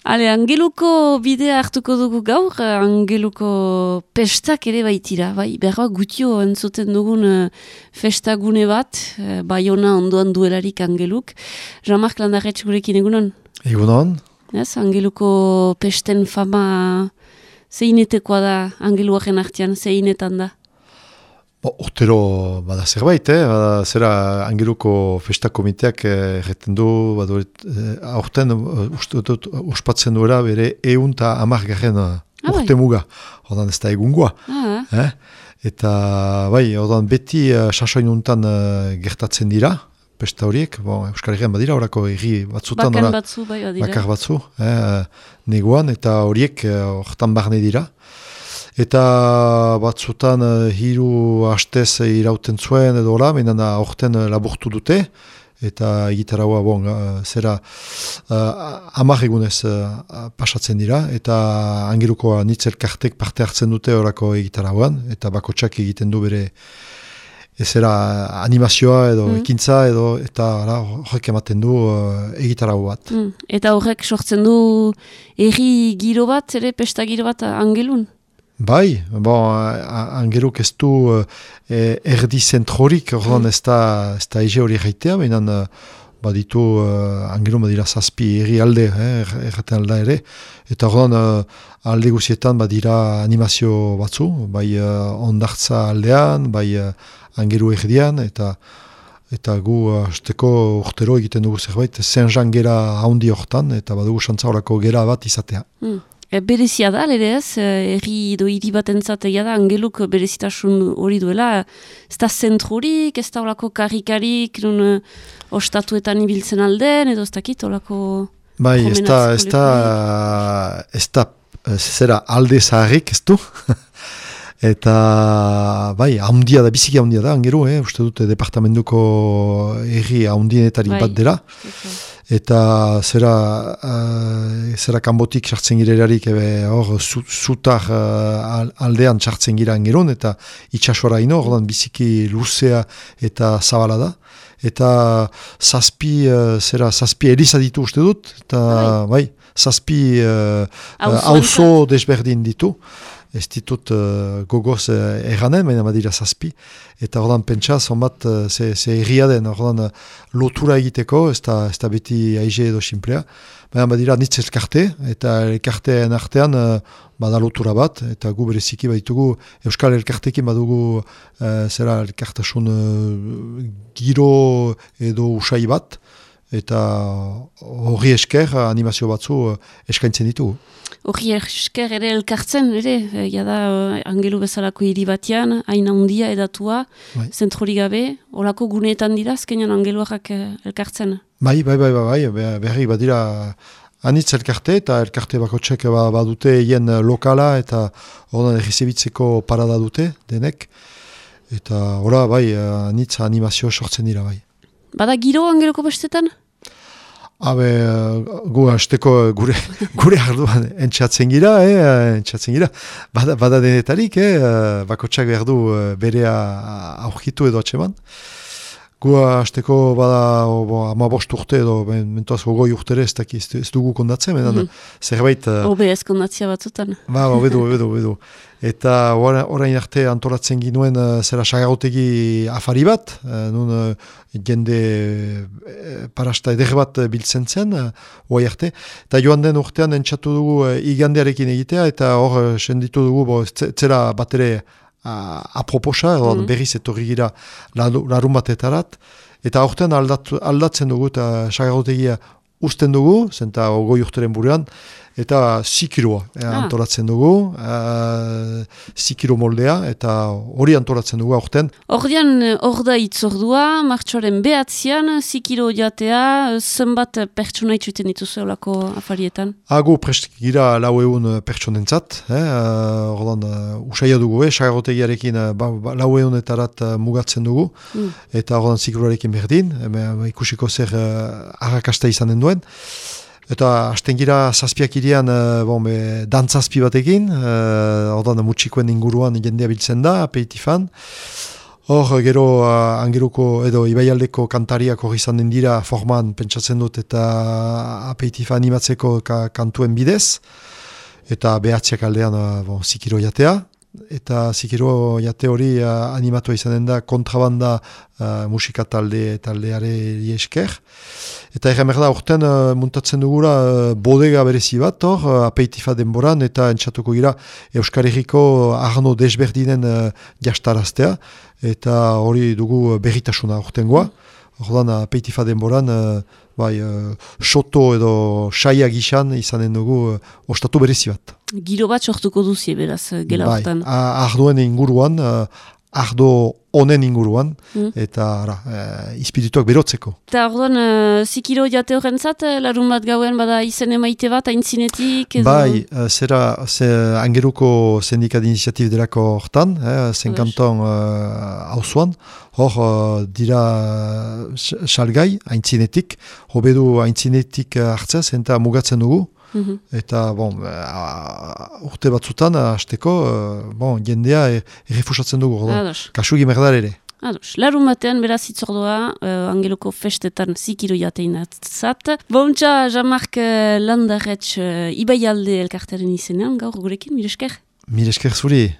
Hale, Angeluko bidea hartuko dugu gaur, Angeluko pestak ere baitira, bai, berra gutio entzuten dugun festagune bat, Baiona ondoan duelarik Angeluk. Jean-Marc Landarretx gurekin egunon? Egunon. Ez, Angeluko pesten fama zeinetekoa da Angeluaren artean, zeinetan da? Urtero bada zerbait, zera Angeluko festa komiteak erreten du, aurten ospatzen duela bere 110 urte muga, ordan ez da egungoa. Eta bai, ordan beti sasoinuntan gertatzen dira, pesta horiek, Euskal Herrian badira, orako erri batzutan, bakar batzu, neguan, eta horiek hortan barne dira. Eta batzutan hiru hastez irauten zuen edo hola, menan aurten laburtu dute, eta egitaraua zera 10 egunez pasatzen dira, eta Angeluko anitzelkartek parte hartzen dute horako egitarauan, eta bakotsak egiten du bere zera animazioa edo ekintza edo, eta horrek ematen du egitarau bat. Eta horrek sortzen du erri giro bat, ere pesta giro bat Angelun? Bai, Angeluk ez du erdi zentrorik, ordan ez da ege hori gaitea, behinan baditu Angelun badira 7 erri alde, erraten alda ere, eta ordan alde guzietan badira animazio batzu, bai ondartza aldean, bai Angelu erdian, eta gu hasteko urtero egiten dugu zerbait, Saint-Jean gera haundi hortan, eta badugu xantza horako gera bat izatea. Berezia da, ere ez, erri edo hiri bat entzatea da, Angeluk berezitasun hori duela, ez da zentrorik, ez da olako karikarik, nun ostatuetan ibiltzen alden, edo ez dakit olako... Bai, ez da, zera alde zaharrik ez du, eta bai, haundia da, biziki haundia da, Angelu, uste dute departamentuko erri haundienetarik bat dela, eta zera kanbotik sartzen girelarik hor zutar aldean sartzen gira Angelun, eta itxasora ino, ordan biziki luzea eta zabala da. Eta 7 eliza ditu uste dut, eta bai, 7 auzo desberdin ditu. Ez ditut gogoz erranen, baina badira 7. Eta ordan pentsa, zonbat ze erria den, ordan lotura egiteko, ez da beti aize edo simplea. Baina badira nitz elkarte, eta elkarteen artean bada lotura bat, eta gu bereziki baditugu Euskal Elkartekin badugu zera elkartasun giro edo usai bat, eta horri esker animazio batzu eskaintzen ditugu. Horri esker ere elkartzen, ere, jada Angelu bezalako hiri batean, hain handia edatua, zentrorik gabe, olako guneetan dira, azkenean Angeluak elkartzen? Bai, berri badira anitz elkarte, eta elkarte bakotsek badute hien lokala, eta ordan errezibitzeko parada dute, denek, eta ora, bai, anitz animazio sortzen dira, bai. Bada giro Angeluko bestetan? Gu hasteko gure arduan entxatzen gira, bada denetarik, bakotsak behar du berea aurkitu edo atseman. Gu hasteko bada 15 urte edo mentuaz 20 urtere ez dugu kondatzen, zerbait... Obe ez kondatzia batzutan. Obedu. Eta orain arte antolatzen ginuen zera sagarotegi afari bat, nun jende parasta eder bat biltzen zen, oai arte. Eta joan den urtean entzatu dugu igandearekin egitea, eta hor senditu dugu zera bat ere aproposa, berriz etorri gira larun batetarat, eta aurten aldatzen dugu, eta sagarotegia usten dugu, zenta 20 urteren buruan, eta 6 kiloa antolatzen dugu, 6 kilo moldea, eta hori antolatzen dugu aurten. Hor da itzordua, martxoaren 9an, 6 kilo jatea, zenbat pertsona itxuten dituzu olako afarietan? Gu prest gira 400 pertsonentzat, ordan usaila dugu, sagarotegiarekin 400etarat mugatzen dugu, eta ordan 6 kiloarekin berdin, ikusiko zer arrakasta izanen duen. Eta hasten gira zazpiak irian dantzazpi batekin, ordan mutxikoen inguruan jendea biltzen da, aperitifan. Hor, gero Angeluko edo Ibaialdeko kantariak hori izan den dira forman pentsatzen dut eta apeitifa animatzeko kantuen bidez. Eta behatziak aldean zikiro jatea. Eta zikiro jate hori animatua izanen da kontrabanda musika taldeare esker. Eta erremer da, urten muntatzen dugula bodega berezi bat, apeitifa denboran, eta entzatuko gira Euskal Herriko arno desberdinen jastaraztea, eta hori dugu berritasuna urtengoa. Ordan apeitifa denboran, soto edo saia gixan izanen dugu ostatu berezi bat. Giro bat sortuko duzie, beraz, gela hortan. Ardoen inguruan, ardo honen inguruan, eta ispirituak berotzeko. Eta orduan, zikiro jate horrentzat, larun bat gauen bada izen emaite bat, aintzinetik? Edo... Bai, Angeluko Sindikat Iniziatib delako hortan, zenkanton hauzuan, hor dira salgai, aintzinetik, hobedu aintzinetik hartzea, zenta mugatzen dugu. Eta, urte batzutan, hasteko, jendea errefusatzen dugu, kasu gimerdar ere. Larun batean, beraz itzordua, Angeluko festetan zikiro jatein atzat. Bontxa, Jean-Marc Landarretx, Ibaialde elkartaren izenean, gaur gurekin, mire esker? Mire esker zuri.